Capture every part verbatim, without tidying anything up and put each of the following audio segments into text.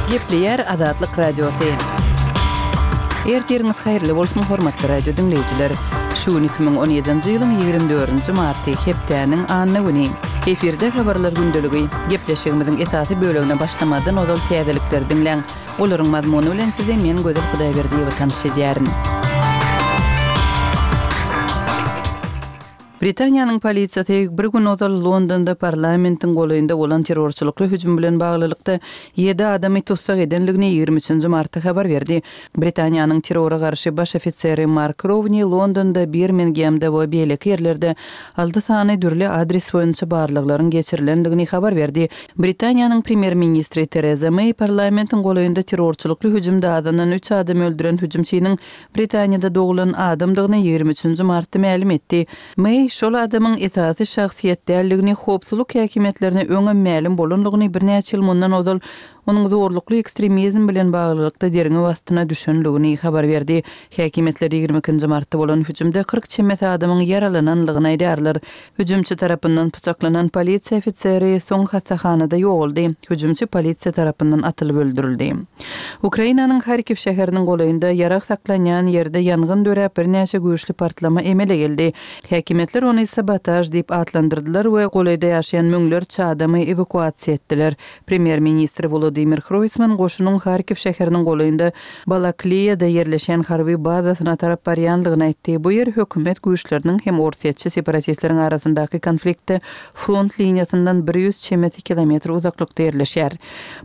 Gepleýär Azatlyk Radiosy. Ertiriňiz haýyrly bolsun, hormatly radio diňleýjiler. Şu gün iki müň on ýedinji ýylyň ýigrimi dördünji marty, hepdäniň anna güni. Efirde habarlar gündeligi. Gepleşigimiziň esasy bölegine başlamazdan ozal täzelikleri diňläň. Olaryň mazmuny bilen sizi men Gözel Hudaýberdiýewa tanyş edýärin. Britaniýanyň polisiýasy bir gün ozal Londonda parlamentiň golaýynda bolan terrorçylykly hüjüm bilen baglylykda ýedi adamy tussag edenligini ýigrimi üçünji martda habar berdi. Britaniýanyň terrora garşy baş ofiseri Mark Rowni Londonda, Birmingemde we beýleki ýerlerde alty sany dürli adres boýunça barlaglaryň geçirilendigini habar berdi. Britaniýanyň premýer-ministri Tereza Meý parlamentiň golaýynda terrorçylykly hüjümde azyndan üç adamy öldüren hüjümçiniň Britaniýada doglan adamdygyny ýigrimi üçünji martda mälim etdi. Meý şol adamyň esasy şahsyýet däldigini, howpsuzlyk häkimiýetlerine öňem mälim bolandygyny, birnäçe ýyl mundan ozal onuň zorlukly ekstremizm bilen baglylykda derňew astyna düşendigini habar berdi. Häkimiýetler ýigrimi ikinji martda bolan hüjümde kyrk çemesi adamyň ýaralananlygyny aýdýarlar. Hüjümçi tarapyndan pyçaklanan polisiýa ofiseri soň hassahanada ýogaldy. Hüjümçi polisiýa tarapyndan atylyp öldürildi. Ukrainanyň Harkiw şäheriniň golaýynda ýarag saklanýan ýerde ýangyn döräp, birnäçe güýçli partlama emele geldi. Häkimiýetler ony sabotaž diýip atlandyrdylar we golaýda ýaşaýan müňlerçe adamy ewakuasiýa etdiler. Premýer-ministr Wolodymyr Hroýsman goşunyň Harkiw şäheriniň golaýynda Balakliýada ýerleşen harby bazasyna tarap barýandygyny aýtdy. Bu ýer hökümet güýçleriniň hem orsýetçi separatistleriň arasyndaky konfliktde front liniýasyndan bir ýüz çemesi kilometr uzaklykda ýerleşýär.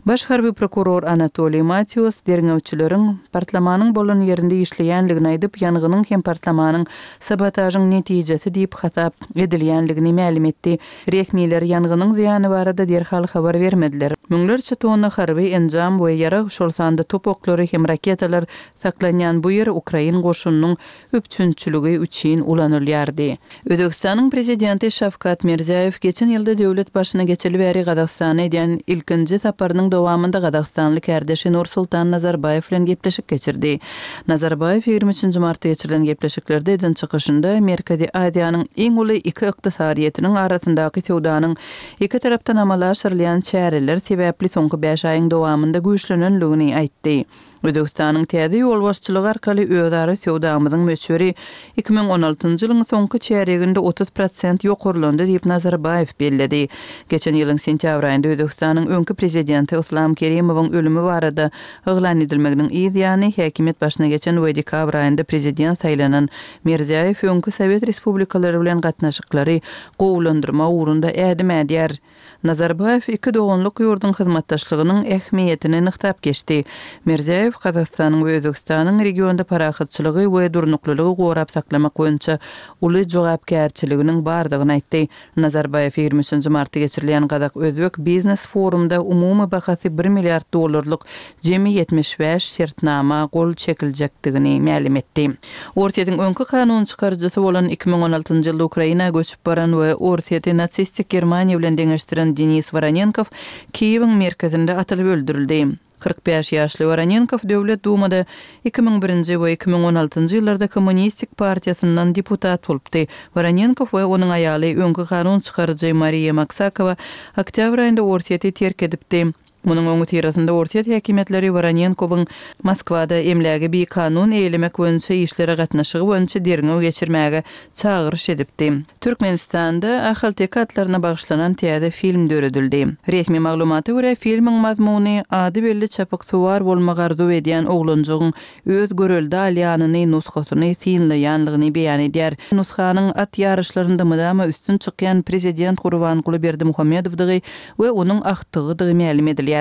Baş harby prokuror Anatoliý Matius derňewçileriň partlamanyň bolan ýerinde işleýändigini aýdyp, ýangynyň hem partlamanyň sabotažyň netijesi diýip hasap edilýändigini mälim etdi. Resmiler ýangynyň zyýany barada derhal habar bermediler. Müňlerçe tonna harby enjam we ýarag, şol sanda top oklary hem raketalar saklanýan bu ýer ukrain goşunynyň üpjünçiligi üçin ulanylýardy. Özbekistanyň prezidenti Şawkat Mirziýoýew geçen ýylda döwlet başyna geçeli bäri Gazagystana edýän ilkinji saparynyň dowamynda gazagystanly kärdeşi Nursultan Nazarbaýew bilen gepleşik geçirdi. Nazarbaýew ýigrimi üçünji martda geçirilen gepleşiklerde eden çykyşynda Merkezi Aziýanyň iň uly iki ykdysadyýetiniň arasyndaky söwdanyň iki tarapdan amala aşyrylýan çäreler sebäpli soňky bäş aýyň dowamynda güýçlenenligini aýtdy. Özbekistanyň täze ýolbaşçylygy arkaly özara söwdamyzyň möçberi iki müň on altynjy ýylyň soňky çärýeginde otuz prosent ýokarlandy diýip Nazarbaýew belledi. Geçen ýylyň sentýabr aýynda Özbekistanyň öňki prezidenti Islam Kerimowyň ölümi barada yglan edilmeginiň yz ýany häkimiýet başyna geçen we dekabr aýynda prezident saýlanan Mirziýoýew öňki Sowet respublikalary bilen gatnaşyklary gowulandyrma ugrunda ädim ädýär. Nazarbaýew iki doganlyk ýurduň hyzmatdaşlygynyň ähmiýetini nygtap geçdi. Mirziýoýew Gazagystanyň we Özbekistanyň regionda parahatçylygy we durnuklylygy gorap saklamak boýunça uly jogapkärçiliginiň bardygyny aýtdy. Nazarbaýew ýigrimi üçünji martda geçirilýän Gazak-Özbek biznes forumda umumy bahasy bir milliard dollarlyk jemi ýetmiş bäş şertnama gol çekiljekdigini mälim etdi. Orsýetiň öňki kanun çykaryjysy bolan iki müň on altynjy ýylda Ukraina göçüp baran we Orsýeti nasistik Germaniýa bilen deňeşdiren Denis Woronenkow Kiýewiň merkezinde atylyp öldürildi. Kyrk bäş ýaşly Woronenkow Döwlet Dumada iki müň birinji we iki müň on altynjy ýyllarda Kommunistik partiýasyndan deputat bolupdy. Woronenkow we onuň aýaly öňki kanun çykaryjy Mariýa Maksakowa oktýabr aýynda Orsýeti terk edipdi. Munuň öňüsyrasynda Orsýet häkimiýetleri Woronenkowyň Moskwada emlägi bikanun eýlemek boýunça işlere gatnaşygy boýunça derňew geçirmäge çagyryş edipdi. Türkmenistanda ahalteke atlaryna bagyşlanan täze film döredildi. Resmi maglumata görä, filmiň mazmuny ady belli çapyksuwar bolmagy arzuw edýän oglanjygyň öz görelde alýanyny, nusgasyny synlaýanlygyny beýan edýär. Nusganyň at ýaryşlarynda mydama üstün çykýan prezident Gurbanguly Berdimuhamedowdygy we onuň agtygydygy mälim edilýär.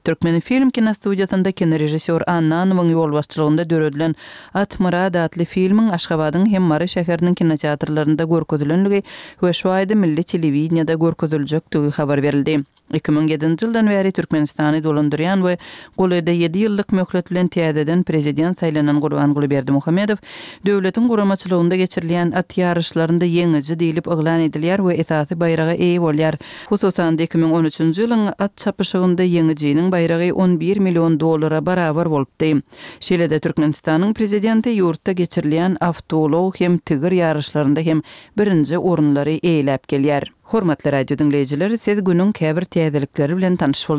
Türkmenfilm kinostudiýasynda kinorežissýor Annanowyň ýolbaşçylygynda döredilen Atmyrat atly filmiň Aşgabadyň hem Mary şäheriniň kinoteatrlarynda görkezilenligi we şu aýda milli telewideniýede görkeziljekdigi habar berildi. Iki müň ýedinji ýyldan bäri Türkmenistany dolandyrýan we golaýda ýedi ýyllyk möhlet bilen täzeden prezident saýlanan Gurbanguly Berdimuhamedow döwletiň guramaçylygynda geçirilýän at ýaryşlarynda ýeňiji diýlip yglan edilýär we esasy baýraga eýe bolýar. Hususan-da iki müň on üçünji ýylyň at çapyşygynda ýeňijiniň baýragy on bir million dollara barabar bolupdy. Şeýle-de Türkmenistanyň prezidenti ýurtda geçirilýän awtoulag hem tigir ýaryşlarynda hem birinji orunlary eýeläp gelýär. Hormatly radio diňleýjiler, siz günüň käbir täzelikleri bilen tanyş bolduňyz.